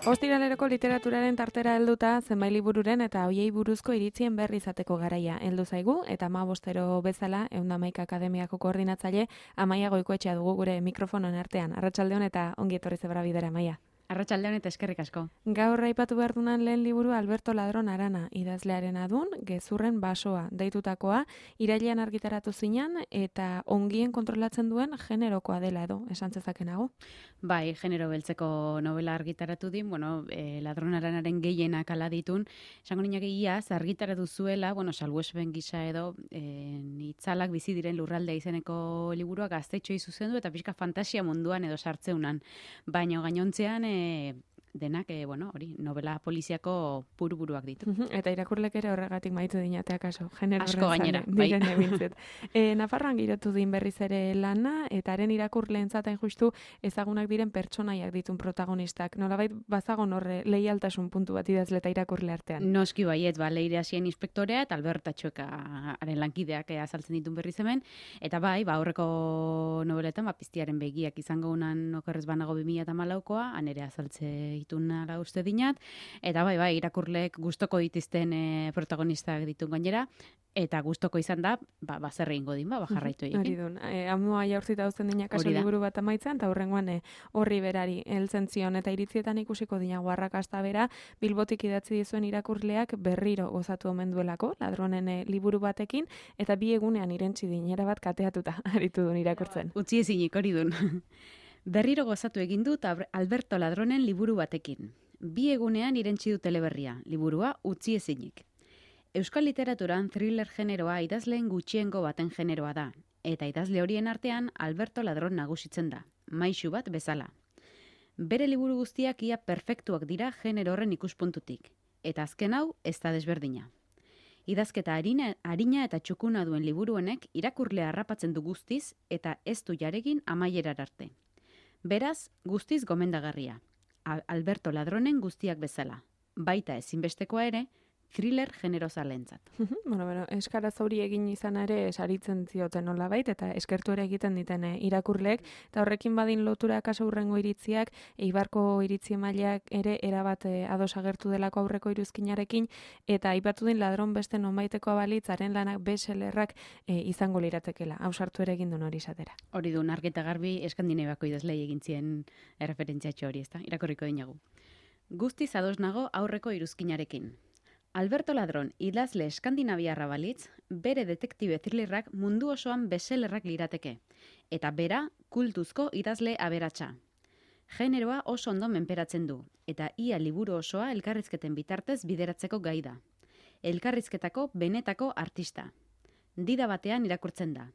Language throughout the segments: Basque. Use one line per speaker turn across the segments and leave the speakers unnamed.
Ostiraleroko literaturaren tartera helduta zenbait libururen eta hoiei buruzko iritzien berri izateko garaia heldu zaigu eta 15 bezala 111 Akademiako koordinatzaile Amaia Goikoetxea dugu gure mikrofonoen artean. Arratsaldeon eta ongi etorri zebra bidera, Amaia.
Arratsaldeon eta eskerrik asko.
Gaur aipatu behar dunan lehen liburu Alberto Ladron Arana, idazlearen adun, Gezurren basoa deitutakoa, irailean argitaratu zinan eta ongien kontrolatzen duen generokoa dela edo, esan zezakenago.
Bai, genero beltzeko novela argitaratu din, Ladron Aranaren gehienak ala ditun, esango ninak iaz argitaratu zuela, salbuespen gisa edo, itzalak bizi diren lurraldea izeneko liburuak gaztetxoi zuzendu eta pixka fantasia munduan edo sartzeunan. Baina gainontzean denak, novela poliziako buruak ditu.
Eta irakurlek ere horregatik maitu dinatea kaso.
Asko gainera, bai.
Nafarroan girotu din berriz ere lana, eta haren irakurleentzat hain justu ezagunak diren pertsonaiak ditun protagonistak. Nolabait bazagon horre leialtasun puntu bat idazle eta irakurle artean.
Noski baiet, Leire Hasien inspektorea eta Alberta Txuekaren lankideak azaltzen ditun berriz hemen. Eta bai, aurreko nobeletan, piztiaren begiak izango unan okerrez banago 2014koa, han ere azaltze ditun ala uste dinat, eta bai, irakurleek gustoko ditizten protagonistak ditun gainera, eta gustoko izan da, zer egingo din, jarraitu egin.
Hori dun, amua jaurtzita uzten dinak kaso liburu bat amaitzen, eta horrengoan horri berari heltzen zion, eta iritzietan ikusiko dina guarrakasta bera, Bilbotik idatzi dizuen irakurleak berriro gozatu omen duelako, Ladronen liburu batekin, eta bi egunean irentzi din, erabat kateatuta aritu dun irakurtzen.
Utzi ezinik, hori dun. Berriro gozatu egin dut Alberto Ladronen liburu batekin. Bi egunean irentsi du teleberria, liburua utzi ezinik. Euskal literaturan thriller generoa idazleen gutxiengo baten generoa da, eta idazle horien artean Alberto Ladron nagusitzen da, maisu bat bezala. Bere liburu guztiak ia perfektuak dira genero horren ikuspuntutik, eta azken hau ez da desberdina. Idazketa harina eta txukuna duen liburuenek irakurlea harrapatzen du guztiz eta ez du jaregin amaierar arte. Beraz, guztiz gomendagarria. Alberto Ladronen guztiak bezala. Baita ezinbestekoa ere, thriller generozalentzat.
Eskaraz hori egin izan ere saritzen zioten nolabait eta eskertu ere egiten diten irakurleek, eta horrekin badin lotura kaso hurrengo iritziak, Eibarko iritzi emaileak ere erabat ados agertu delako aurreko iruzkinarekin, eta aipatu din Ladron beste nonbaiteko abalitzaren lanak bestsellerrak izango liratekela. Hau sartu ere egin duen hori izatera.
Hori duen argita garbi Eskandinaviako idazlei egin zien erreferentziatxo hori, ezta? Irakurriko dinagu. Guztiz ados nago aurreko iruzkinarekin. Alberto Ladron idazle eskandinaviarra balitz, bere detektibe thrillerrak mundu osoan bestsellerrak lirateke, eta bera kultuzko idazle aberatsa. Generoa oso ondo menperatzen du, eta ia liburu osoa elkarrizketen bitartez bideratzeko gai da. Elkarrizketako benetako artista. Dida batean irakurtzen da.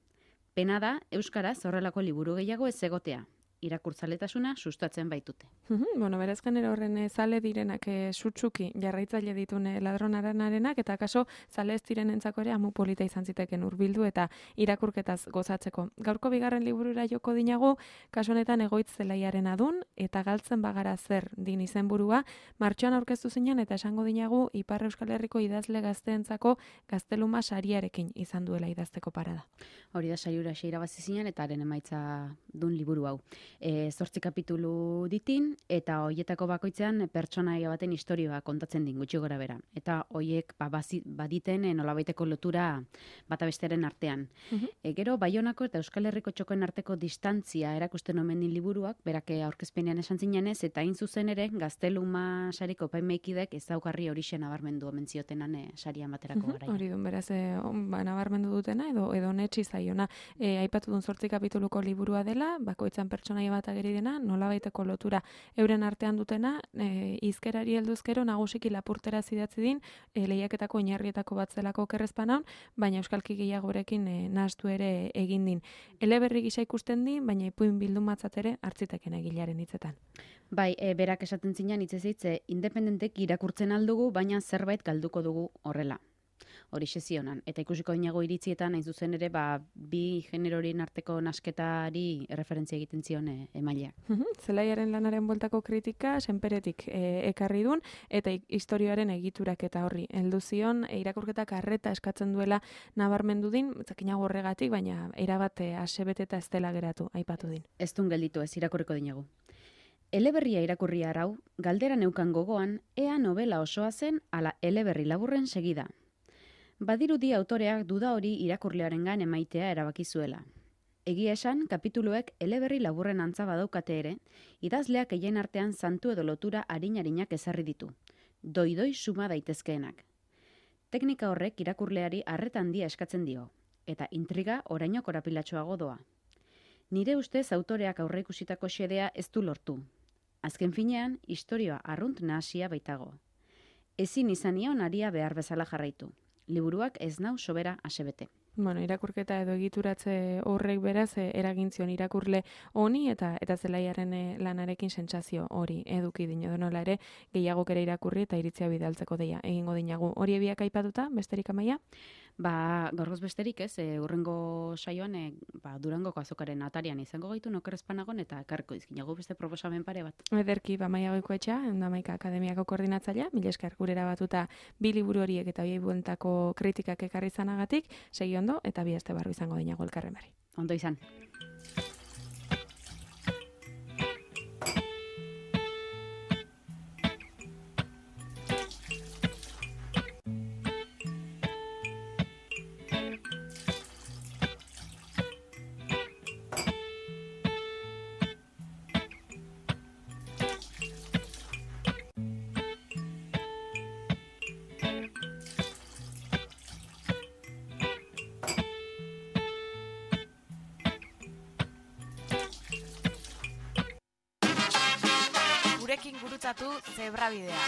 Pena da, euskaraz horrelako liburu gehiago ez egotea. Irakurtzaletasuna sustatzen baitute.
Beraz genero horren zale direnak sutsuki jarraitzaile ditune Ladron Aranarenak, eta kaso zale ez direnentzako ere amu polita izan ziteken hurbildu eta irakurketaz gozatzeko. Gaurko bigarren liburura joko dinagu, kaso honetan Egoitz zelaiaren adun, eta galtzen bagara zer din izenburua, martxoan aurkeztu zinen eta esango dinagu Ipar Euskal Herriko idazle gazteentzako Gazteluma sariarekin izan duela idazteko parada.
Hori da sariura irabazi zinen eta haren emaitza dun liburu hau. 8 kapitulu ditin, eta hoietako bakoitzean pertsonaia baten istorioa kontatzen din gutxi gora bera. Eta hoiek baditen nolabaiteko lotura bata bestearen artean. Gero Baionako eta Euskal Herriko txokoen arteko distantzia erakusten omen din liburuak, berak aurkezpenean esan zinenez, eta hain zuzen ere Gazteluma sariko epaimaikidek ezaugarri horixe nabarmendu omen ziotenan saria baterako garaia.
Hori dun, beraz, nabarmendu dutena edo netxi zaiona. Aipatu dun 8 kapituluko liburua dela, bakoitzan pertsonaia bat ageri dena, nolabaiteko lotura euren artean dutena, hizkerari helduzkero nagusiki lapurtera zidatzi din, lehiaketako oinarrietako bat zelako okerrezpanaun, baina euskalki gehiagorekin nahastu ere egin din. Eleberri gisa ikusten din, baina ipuin bildumatzat ere hartziteken egilaren hitzetan.
Bai, berak esaten zinan hitzez independentek irakurtzen aldugu, baina zerbait galduko dugu horrela. hori zionan. Eta ikusiko dinago iritzietan, hain zuzen ere, bi generorien arteko nasketari referentzia egiten zion emaileak.
Zelaiaren lanaren bueltako kritika, senperetik ekarri dun, eta historioaren egiturak eta horri. Heldu zion, irakurketak arreta eskatzen duela nabarmendu din, zakinago horregatik, baina erabat asebet eta ez dela geratu, aipatu din.
Ez dun gelditu ez, irakurriko dinagu. Eleberria irakurri arau, galdera neukan gogoan, ea novela osoa zen ala eleberri laburren segida. Badirudi autoreak duda hori irakurlearengan emaitea erabaki zuela. Egia esan, kapituluek eleberri laburren antza badaukate ere, idazleak eien artean santu edo lotura arin-arinak ezarri ditu. Doi-doi suma daitezkeenak. Teknika horrek irakurleari arreta handia eskatzen dio, eta intriga oraino korapilatsuago doa. Nire ustez autoreak aurreikusitako xedea ez du lortu. Azken finean, istorioa arrunt nahasia baitago. Ezin izanion aria behar bezala jarraitu. Liburuak ez nau sobera asebete.
Bueno, irakurketa edo egituratze horrek beraz eragintzion irakurle honi eta zelaiaren lanarekin sentsazio hori eduki dino nola ere gehiagok ere irakurri eta iritzia bidaltzeko deia egingo dinagu. Hori biak aipatuta, besterik Amaia?
Gaurgoz besterik ez, urrengo saioan Durangoko azokaren atarian izango gaitu nokerrezpanagon eta ekarriko dizkinagu beste proposamen pare bat.
Ederki, Amaia Goikoetxea, Hamaika Akademiako koordinatzailea, mila esker gurera batuta bi liburu horiek eta bi bueltako kritikak ekarri izanagatik, segi ondo eta bi aste barru izango dinago elkarren bari.
Ondo izan.
Gurekin gurutzatu Zebrabidea.